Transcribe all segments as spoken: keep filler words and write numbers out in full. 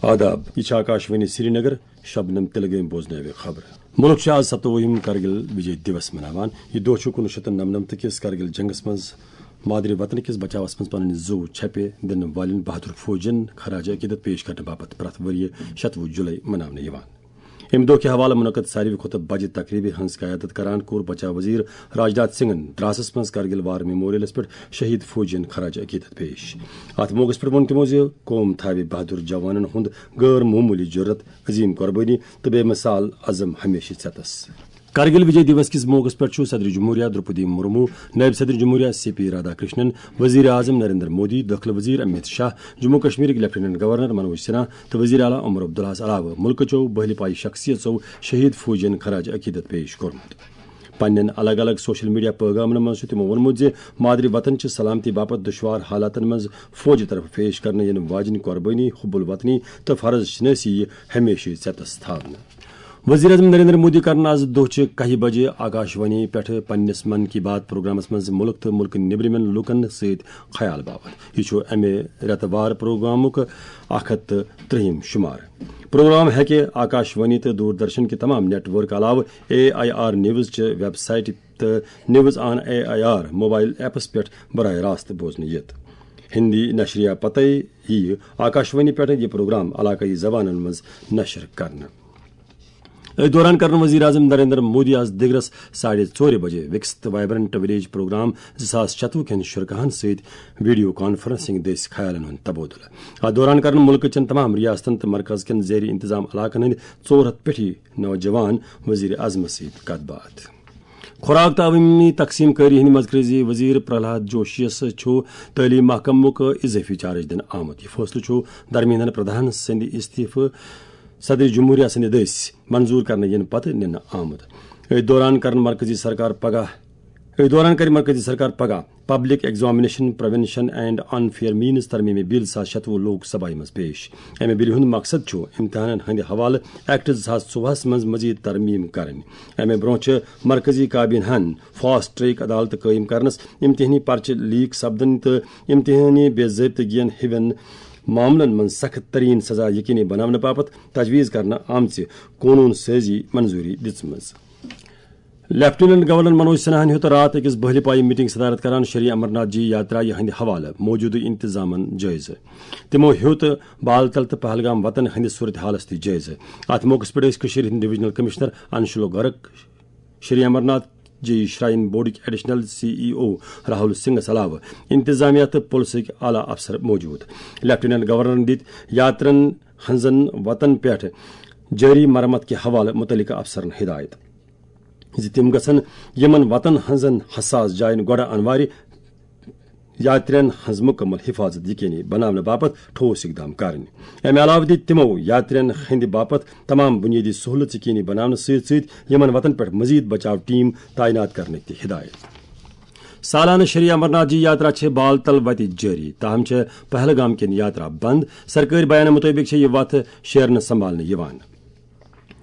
آداب، یہِ چھِ آکاشوانی سرینگر، شبنم تلگٲمۍ بوزنٲوِ خبرٕ۔ مُلک چھُ آز ستووُہِم کرگِل وِجے دیوس مناوان۔ یہِ دۄہ چھُ کُنوُہ شیٚتھ تہٕ نَمنَمتھ کِس کرگِل جنگس منٛز مادری وطن کِس بچاوس منٛز پنٕنۍ زُو چھپہِ دِنہٕ والٮ۪ن بہادر فوجین خراج عقیدت پیش کرنہٕ باپتھ پرٛٮ۪تھ ؤرۍ یہِ شتوُہ جُلے مناونہٕ یِوان۔ اَمہِ دۄہ کہِ حوالہٕ منعقد ساروی کھۄتہٕ بجہِ تقریبہِ ہٕنٛز قیادت کران کوٚر بچاو وزیر راجناتھ سنگھن دراسس منٛز کرگل وار میموریلس پٮ۪ٹھ شہید فوجین خراج عقیدت پیش۔ اتھ موقعس پٮ۪ٹھ ووٚن تِمو زِ قوم تھاوِ بہادر جوانن ہُنٛد غٲر معموٗلی جرأت، عظیم قربٲنی تہٕ بے مثال عزم ہمیشہٕ ژٮ۪تس۔ کرگل وجے دیوس کِس موقعس پٮ۪ٹھ چھُ صدر جمہوریہ درپدی مرمو، نائب صدر جمہوریہ سی پی رادھا کرشنن، وزیر اعظم نریندر مودی، دٲخلہٕ وزیر امیت شاہ، جموں کشمیرٕکۍ لیفٹیننٹ گورنر منوج سنہا تہٕ وزیر اعلیٰ عمر عبداللہس علاوٕ مُلکہٕ چٮ۪و بہلہِ پایہِ شخصیژو شہید فوجین خراج عقیدت پیش کوٚرمُت۔ پننٮ۪ن الگ الگ سوشل میڈیا پیغامن منٛز چھُ تِمو ووٚنمُت زِ مادری وطن چہِ سلامتی باپتھ دُشوار حالاتن منٛز فوجہِ طرفہٕ پیش کرنہٕ یِنہٕ واجنۍ قربٲنی، حب الوطنی تہٕ فرض شناسی یہِ ہمیشہٕ ژٮ۪تس تھاونہٕ۔ وزیر اعظم نریندر مودی کرن آز دۄہچہِ کاہہِ بجہِ آکاشوانی پٮ۪ٹھ پننِس من کی بات پروگرامس منٛز مُلک تہٕ مُلکہٕ نیبرِمٮ۪ن لوٗکن سۭتۍ خیال باوتھ۔ یہِ چھُ امہِ رٮ۪تہٕ وار پروگرامُک اکھ ہتھ تہٕ ترٛہِم شمار۔ پروگرام ہیٚکہِ آکاشوانی تہٕ دوردرشن کہِ تمام نیٹ ورک علاوٕ اے آئی آر نیوز چہِ ویب سائٹہِ تہٕ news on A I R mobile apps پٮ۪ٹھ براہ راست بوزنہٕ یِتھ۔ ہندی نشریہ پتے یِیہِ آکاشوانی پٮ۪ٹھ یہِ پروگرام علاقٲیی زبانن منٛز نشر کرنہٕ۔ أتھۍ دوران کرن وزیر اعظم نریندر مودی آز دِگرس ساڑِ ژورِ بجے وکست وائبرنٹ ولیج پروگرام زٕ ساس شتوُہ کٮ۪ن شرکاہن سۭتۍ ویڈیو کانفرنسنگ دٔسۍ خیالن ہُنٛد تبادلہٕ۔ اتھ دوران کرن مُلکہٕ چٮ۪ن تمام ریاستن تہٕ مرکز کٮ۪ن زیر انتظام علاقن ہٕنٛدۍ ژور ہتھ پٮ۪ٹھی نوجوان وزیر اعظمس سۭتۍ کتھ باتھ۔ خوراک تہٕ عوٲمی تقسیم کٲری ہٕنٛدۍ مرکزی وزیر پرہلاد جوشیَس چھُ تعلیٖم محکمُک اضٲفی چارج دِنہٕ آمُت۔ یہِ فٲصلہٕ چھُ دھرمیندر پردھان سٕنٛدِ استعفہٕ صدر جمہوریہ سٕنٛدِ دٔسۍ منظور کرنہٕ یِنہٕ پتہٕ نِنہٕ آمُت۔ أتھۍ دوران کرن مرکزی سرکار پگاہ، أتھۍ دوران کرِ مرکزی سرکار پگاہ public examination prevention and unfair means ترمیمی بل زٕ ساس شتوُہ لوک سبھایہ منٛز پیش۔ امہِ بلہِ ہُنٛد مقصد چھُ امتحانن ہٕنٛدِ حوالہٕ ایکٹ زٕ ساس ژوٚوُہس منٛز مزید ترمیم کرٕنۍ۔ امہِ برونٛہہ چھِ مرکزی کابینہ ہن فاسٹ ٹریک عدالت قٲیِم کرنس، امتحانی پرچہٕ لیک سپدن تہٕ امتحانی بے ضٲبطگین ہِوٮ۪ن معاملن منٛز سخت ترین سزا یقینی بناونہٕ باپتھ تجویز کرنہٕ آمژِ قونوٗن سٲزی منظوٗری دِژمٕژ۔ لیفٹیننٹ گورنر منوج سنہاہن ہیوٚت راتھ أکِس بہلہِ پایہِ میٹنگ صدارت کران شری امرناتھ جی یاترایہِ ہٕنٛدِ حوالہٕ موجودٕ انتظامن جٲیزٕ۔ تِمو ہیوٚت بال تل تہٕ پہلگام وطن ہٕنٛدِ صورت حالس تہِ جٲیزٕ۔ اتھ موقعس پٮ۪ٹھ ٲسۍ کٔشیٖرِ ہٕنٛدۍ ڈویژنل کمشنر انشول گرک، شری امرناتھ جی شراین بورڈٕکۍ ایڈیشنل سی ای او راہل سنگھس علاوٕ انتظامیہ تہٕ پُلسٕکۍ اعلیٰ افسر موجود۔ لیفٹیننٹ گورنرن دِتۍ یاترن ہٕنٛزن وتن پٮ۪ٹھ جٲری مرمت کہِ حوالہٕ مُتعلقہٕ افسرن ہدایت زِ تِم گژھن یِمن وتن ہٕنٛزن حساس جاین گۄڈٕ انوارِ یاترین ہٕنٛز مُکمل حفاظت یقینی بناونہٕ باپتھ ٹھوس اقدام کرٕنۍ۔ امہِ علاوٕ دِتۍ تِمو یاترین ہٕنٛدِ باپتھ تمام بُنیٲدی سہوٗلژ یقینی بناونہٕ سۭتۍ سۭتۍ یِمن وتن پٮ۪ٹھ مزید بچاو ٹیم تعینات کرنٕکۍ تہِ ہدایت۔ سالانہٕ شری امرناتھ جی یاترا چھِ بال تل وتہِ جٲری، تاہم چھےٚ پہلگام کِنۍ یاترا بند۔ سرکٲرۍ بیانہٕ مُطٲبِق چھےٚ یہِ وتھ شیرنہٕ سنبھالنہٕ یِوان۔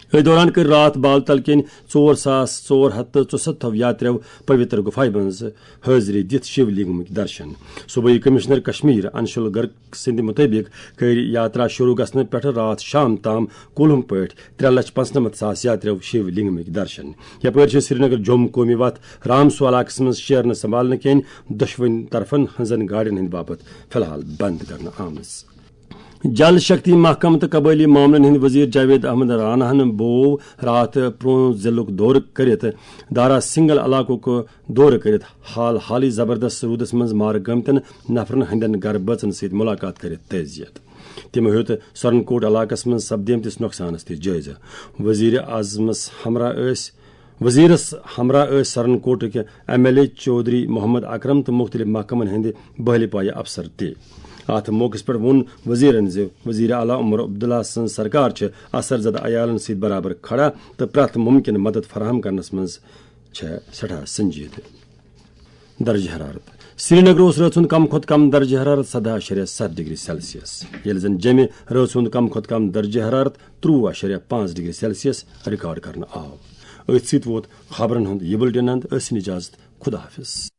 أتھۍ دوران کٔرۍ راتھ بال تل کٮ۪ن ژور ساس ژور ہتھ تہٕ ژُسَتتھ یاتریو پویتر گُفایہِ منٛز حٲضری دِتھ شِو لنگمٕکۍ درشن۔ صوبٲئی کمشنر کشمیر انشول گرک سٕنٛدِ مُطٲبِق کٔرۍ یاترا شروع گژھنہٕ پٮ۪ٹھٕ راتھ شام تام کُلہُم پٲٹھۍ ترٛےٚ لچھ پانٛژنَمتھ ساس یاتریو شِو لنگمٕکۍ درشن۔ یپٲرۍ چھِ سرینگر جوٚم قومی وتھ رامسو علاقس منٛز شیرنہٕ سنبھالنہٕ کٮ۪ن دۄشوٕنۍ طرفن ہٕنٛزن گاڑٮ۪ن ہٕنٛدِ باپتھ فی الحال بند کرنہٕ آمٕژ۔ جل شکتی محکمہٕ تہٕ قبٲئلی معاملن ہٕنٛدۍ وزیر جاوید احمد راناہن بوو راتھ پرون ضلعُک دورٕ کٔرِتھ دارا سنگل علاقُک دورٕ کٔرِتھ حال حالٕے زبردست روٗدس منٛز مارٕ گٲمتٮ۪ن نفرن ہٕنٛدٮ۪ن گرٕ بٲژن سۭتۍ مُلاقات کٔرِتھ تعزیت۔ تِمو ہیوٚت سورن کوٹ علاقس منٛز سپدیمتِس نۄقصانس تہِ جٲیزٕ۔ وزیر اعظمس ہمراہ ٲسۍ وزیرس ہمراہ ٲسۍ سرن کوٹٕکۍ M L A Chaudhary Mohammad Akram تہٕ مُختٔلِف محکمن ہٕنٛدۍ بہلہِ پایہِ افسر تہِ۔ اتھ موقعس پٮ۪ٹھ ووٚن وزیرن زِ وزیر اعلیٰ عمر عبداللہ سٕنٛز سرکار چھِ اثر زدٕ عیالن سۭتۍ برابر کھڑا تہٕ پرٛٮ۪تھ مُمکِن مدد فراہم کرنس منٛز چھےٚ سٮ۪ٹھاہ سنجیدٕ۔ درجہ حرارت۔ سرینگر اوس رٲژ ہُنٛد کم کھۄتہٕ کم درجہ حرارت سداہ اَشاریہ ستھ ڈگری سیلسیس، ییٚلہِ زن جیٚمہِ رٲژ ہُنٛد کم کھۄتہٕ کم درجہ حرارت ترٛوُہ اَشاریہ پانٛژھ ڈگری سیلسیس ریکارڈ کرنہٕ آو۔ أتھۍ سۭتۍ ووت خبرن ہُنٛد یہِ بُلٹن اند۔ ٲسِن اجازت، خدا حافظ۔